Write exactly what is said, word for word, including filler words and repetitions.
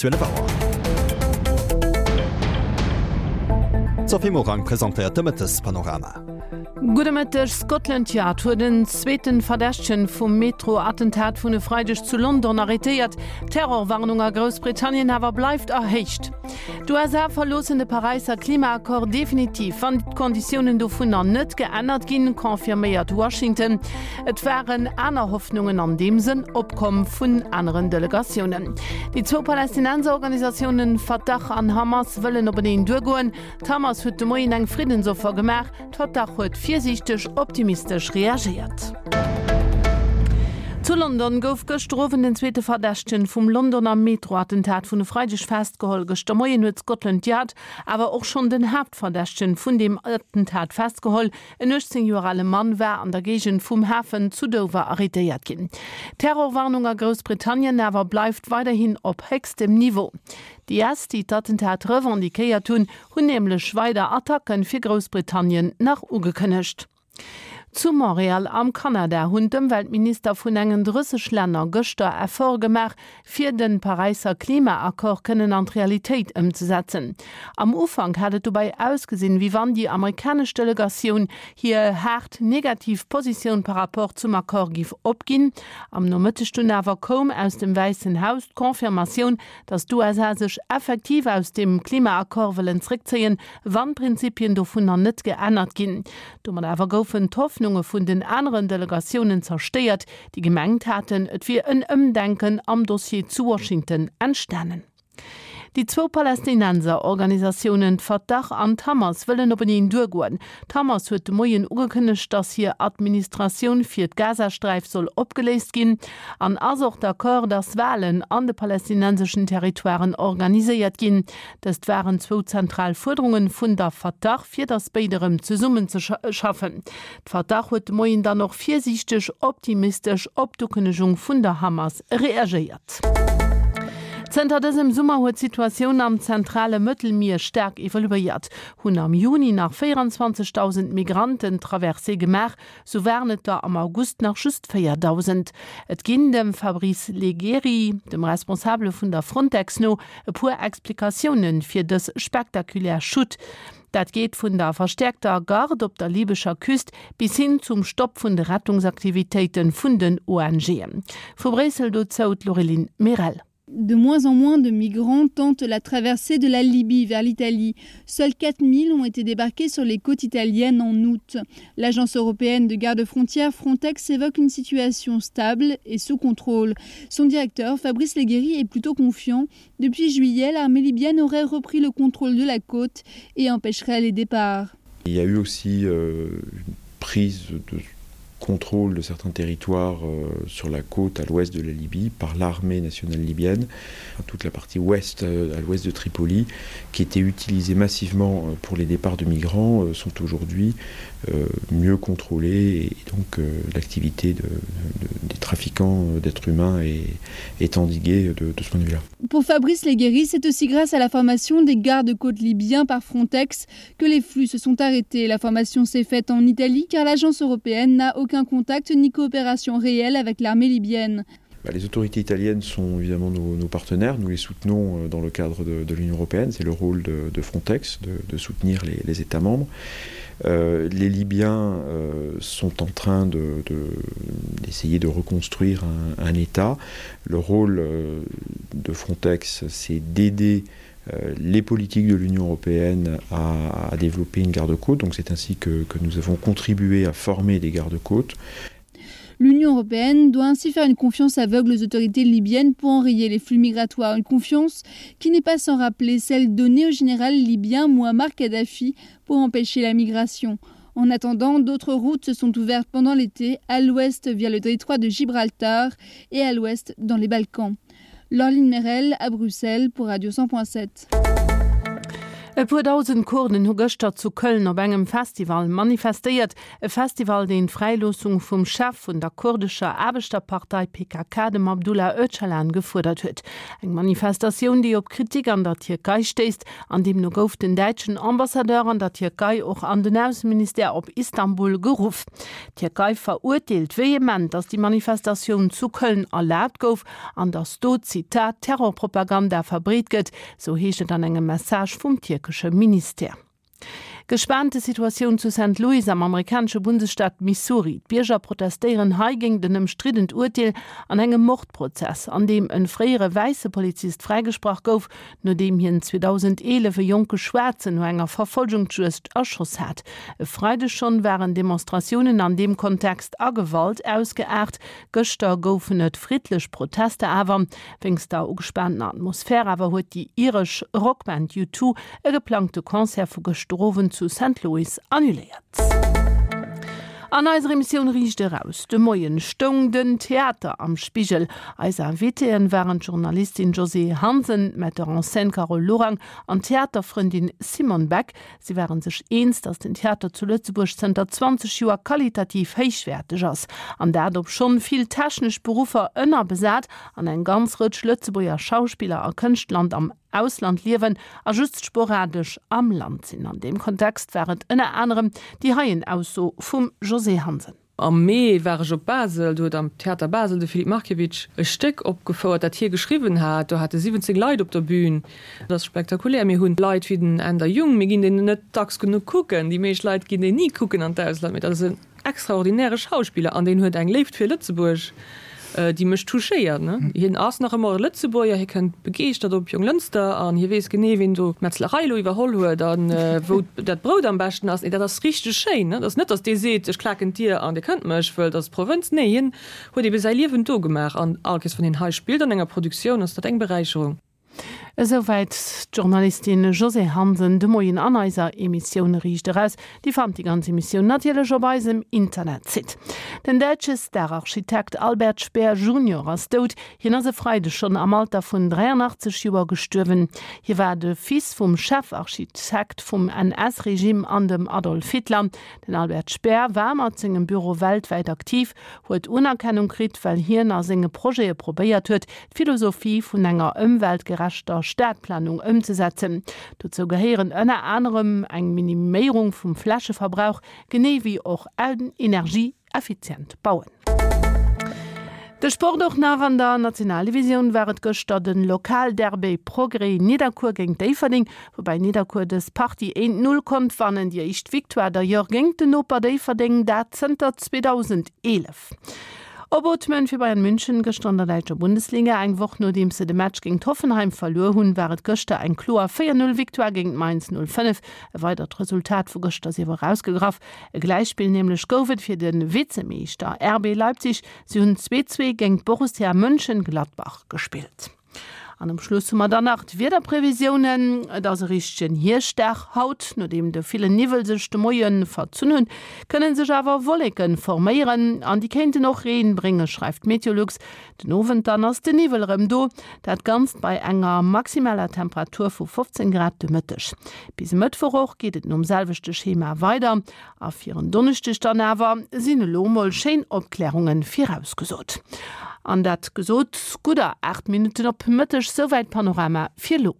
Zwielef Auer. D'Sophie Morang presentéiert de Mëttespanorama. Gudde Mëtteg, Scotland Yard huet en zweeten Verdächtegen vum Metro-Attentat vun e Freideg zu London arretéiert. D'Terrorwarnung a Groussbritannien awer bleift erhéicht. D' U S A verloossen de Paräisser Klimaaccord definitiv, wann d'Konditiounen dovunner net geännert ginn, confirméiert Washington. Et waren aner Hoffnungen an deem Sënn opkomm vun aneren Delegatiounen. Déi zwou Palästinenserorganisatiounen Fatah an Hamas wëllen openeen duergoen. D'Hamas huet de Moien eng Friddensoffer gemaach, d'Fatah huet virsiichteg optimistesch reagéiert. Zu London gouf gëschter Owend den zweete Verdächtegen vum Londoner Metro-Attentat vun e Freideg festgeholl. Gëschter Moien huet Scotland Yard awer och schonn den Haaptverdächtegen vun deem Attentat festgeholl. En uechtzéng Joer ale Mann war an der Géigend vum Hafen zu Dover arretéiert ginn. D'Terrorwarnung a Groussbritannien awer bleift weiderhin op héchstem Niveau. D' I S, déi d'Attentat revendiquéiert hunn, hunn nämlech weider Attacke fir Groussbritannien nach ugekënnegt. Zu Montréal am Kanada hunn d'Ëmweltminister vun engen drësseg Länner gëschter Efforte gemaach, fir de Paräisser Klimaaccord kënnen an d'Realitéit ëmzesetzen. Am Ufank hat et dobäi ausgesinn, wéi wann déi amerikanesch Delegatioun hir haart negativ Positioun par rapport zum Accord giff opginn. Am Nomëtteg dunn awer koum aus dem Wäissen Haus d'Confirmatioun, datt d'U S A sech effektiv aus dem Klimaaccord wëllen zréckzéien, wann d'Prinzipien dovunner net geännert ginn. Domat awer goufen d'Hoffnunge vun den aneren Delegatiounen zerstéiert, déi gemengt haten, et wier en Ëmdenken am Dossier zu Washington entstanen. Déi zwou Palästinenser-Organisatiounen d'Fatah an d'Hamas wëllen openeen duergoen. D'Hamas huet de Moien ugekënnegt, datt hir Administratioun fir d'Gazasträif soll opgeléist ginn an ass och d'accord, datt Walen an de palästinenseschen Territoiren organiséiert ginn. Dëst waren zwou zentral Fuerderunge vun der Fatah, fir datt béid erëm zesummenzeschaffen. D'Fatah huet de Moien dann och virsiichteg optimistesch op d'Ukënnegung vun der Hamas reagéiert. Zënter dësem Summer huet d'Situatioun am zentrale Mëttelmier staark evoluéiert. Hunn am Juni nach véierundzwanzegdausend Migranten d'Traversée gemaach, sou waren et der am August nach just véierdausend. Et ginn dem Fabrice Leggeri, dem Responsabele vun der Frontex no, e puer Explikatioune fir dës spektakulär Chute. Dat geet vun der verstäerkter Garde op der libescher Küst bis hin zum Stopp vun de Rettungsaktivitéite vun den O N G'en. Vu Bréissel dozou d'Laureline Merel. De moins en moins de migrants tentent la traversée de la Libye vers l'Italie. Seuls quatre mille ont été débarqués sur les côtes italiennes en août. L'agence européenne de garde-frontières Frontex évoque une situation stable et sous contrôle. Son directeur, Fabrice Leggeri, est plutôt confiant. Depuis juillet, l'armée libyenne aurait repris le contrôle de la côte et empêcherait les départs. Il y a eu aussi, euh, une prise de contrôle de certains territoires, euh, sur la côte à l'ouest de la Libye par l'armée nationale libyenne, enfin, toute la partie ouest, euh, à l'ouest de Tripoli, qui était utilisée massivement, euh, pour les départs de migrants, euh, sont aujourd'hui, euh, mieux contrôlées et donc, euh, l'activité de, de, des trafiquants, euh, d'êtres humains est, est endiguée de, de ce point de vue-là. Pour Fabrice Leggeri, c'est aussi grâce à la formation des gardes-côtes libyens par Frontex que les flux se sont arrêtés. La formation s'est faite en Italie car l'agence européenne n'a aucun contact ni coopération réelle avec l'armée libyenne. Bah, les autorités italiennes sont évidemment nos, nos partenaires, nous les soutenons, euh, dans le cadre de, de l'Union européenne, c'est le rôle de, de Frontex de, de soutenir les, les États membres. Euh, les Libyens, euh, sont en train de, de, d'essayer de reconstruire un, un État. Le rôle, euh, de Frontex, c'est d'aider, euh, les politiques de l'Union européenne à, à développer une garde-côte. Donc c'est ainsi que, que nous avons contribué à former des gardes-côtes. L'Union européenne doit ainsi faire une confiance aveugle aux autorités libyennes pour enrayer les flux migratoires. Une confiance qui n'est pas sans rappeler celle donnée au général libyen Muammar Kadhafi pour empêcher la migration. En attendant, d'autres routes se sont ouvertes pendant l'été, à l'ouest via le détroit de Gibraltar et à l'ouest dans les Balkans. Laureline Merel à Bruxelles pour Radio cent point sept. E puer dausend Kurden hu gëschter zu Köln op engem Festival manifestéiert, e Festival deen d'Fräiloossung vum Chef vun der kurdescher Aarbechterpartei P K K, dem Abdullah Öcalan, gefuerdert huet. Eng Manifestatioun, déi op Kritik an der Tierkei stéisst, an deemno gouf den däitschen Ambassadeur an der Tierkei och an den Ausseministère op Istanbul geruff. D'Tierkei verurteelt vehement, datt déi Manifestatioun zu Köln erlaabt gouf an datt do, Zitat, Terrorpropaganda verbreet gëtt, sou heescht et an engem Message vum tierkesche Ministère. Gespaante Situatioun zu Saint Louis am amerikanesche Bundesstaat Missouri. D'Bierger protestéieren hei géint en ëmstriddent Urteel an engem Mordprozess, an deem e fréiere wäisse Polizist fräigesprach gouf, nodeem hien zweedausendeelef e jonke Schwaarzen no enger Verfollgungsjuegd erschoss hat. E Freideg schonn waren Demonstratiounen an deem Kontext a Gewalt ausgeaart. Gëschter goufen et friddlech Protester awer wéinst der ugespaanter Atmosphär awer huet déi iresch Rockband U Two e geplangte Concert vu gëschter Owend zu Saint Louis annuléiert. An eiser Emissioun Riicht eraus de Moien stoung den Theater am Spigel. Eis Invitéen waren d'Journalistin Josée Hansen, Metteur en scène Carole Lorang an Theaterfrëndin Simone Beck. Si waren sech eens, datt den Theater zu Lëtzebuerg zënter zwanzeg Joer qualitativ héichwäerteg ass. An dat obschonn vill technesch Beruffer ënnerbesat an eng ganz Rëtsch Lëtzebuerger Schauspiller a Kënschtler am Ausland liewen a just sporadesch am Land sinn. An deem Kontext war et ënner anerem déi heien Ausso vum Josée Hansen. Am Mee war ech op Basel, do huet am Theater Basel de Filip Markiewicz e Stéck opgefouert, dat hie geschriwwen hat. Do hat e siwwenzéng Leit op der Bühn. Dat ass spektakulär. Mir hunn Leit wéi den Änder Jung, mir ginn deen net dacks genuch kucken. Déi meescht Leit ginn deen ni kucken an d'Ausland, mee dat ass en extraordinäre Schauspiller an deen huet eng Léift fir Lëtzebuerg, déi mech touchéiert. Hien ass nach ëmmer e Lëtzebuerger, hie kënnt begeeschtert op Jonglënster an hie weess genee, wien do d'Metzlerei elo iwwerholl huet a wou dat Brout am beschten ass. Dat ass richteg schéin. Et ass net, datt dee seet, ech klaken d'Dier an Dir kënnt mech, wëll dat ass d'Provënz. Nee, hien huet ebe säi Liewen do gemaach an all Kees, wann hien hei spillt an enger Produktioun, ass dat eng Beräicherung. Esouwäit d'Journalistin Josée Hansen de Moien an eiser Emissioun Riicht eraus. Dir fannt déi ganz Emissioun natierlech op eisem Internetsite. Den däitsche Stararchitekt Albert Speer Junior ass dout. Hien ass e Freideg schonn am Alter vun dräianachtzeg Joer gestuerwen. Hie war de Fils vum Chefarchitekt vum N S-Regime an dem Adolf Hitler. Den Albert Speer war mat sengem Büro weltwäit aktiv, huet Unerkennung kritt, well hien a senge Projete probéiert huet, d'Philosophie vun enger ëmweltgerechter Stadplanung ëmzesetzen. Dozou gehéieren ënner anerem eng Miniméierung vum Flächeverbrauch, genee wéi och en energieeffizient Bauen. De Sport och nach. An der Nationaldivisioun war et gëschter de Lokalderby Progrès Nidderkuer géint Déifferdeng, woubäi Nidderkuer dës Partie eent Null konnt wannen, déi éischt Victoire d'ailleurs géint den Noper Déifferdeng, dat zënter zweedausendeelef. Opootmen fir Bayern München gëschter an der däitscher Bundesliga. Eng Woch nodeems se de Match géint Hoffenheim verluer hunn, war et gëschter eng kloer véier null Victoire géint Mainz null fënnef. E weidert Resultat vu gëschter sief erausgegraff. E Gläichspill nämlech gouf et fir de Vizemeeschter R B Leipzig. Si hunn zwee zwee géint Borussia Mönchengladbach gespillt. An um Schluss hu mer dann nach d'Wiederprevisiounen. Et ass e richtegen Hierschtdag haut. Nodeem de villen Niwwel sech de Moie verzunn hunn, kënne sech awer Wolleke forméieren an déi kéinten och Reen bréngen, schreift Meteolux. Den Owend dann ass den Niwwel erëm do, dat Ganzt bei enger maximaler Temperatur vu fofzéng Grad de Mëtteg. Bis e Mëttwoch och geet et nom selwechte Schema weider a fir en Donneschdeg dann awer sinn elo mol schéin Opklärunge virausgesot. An dat gesot, gudder aacht Minutten op Mëtteg, souwäit Panorama fir elo.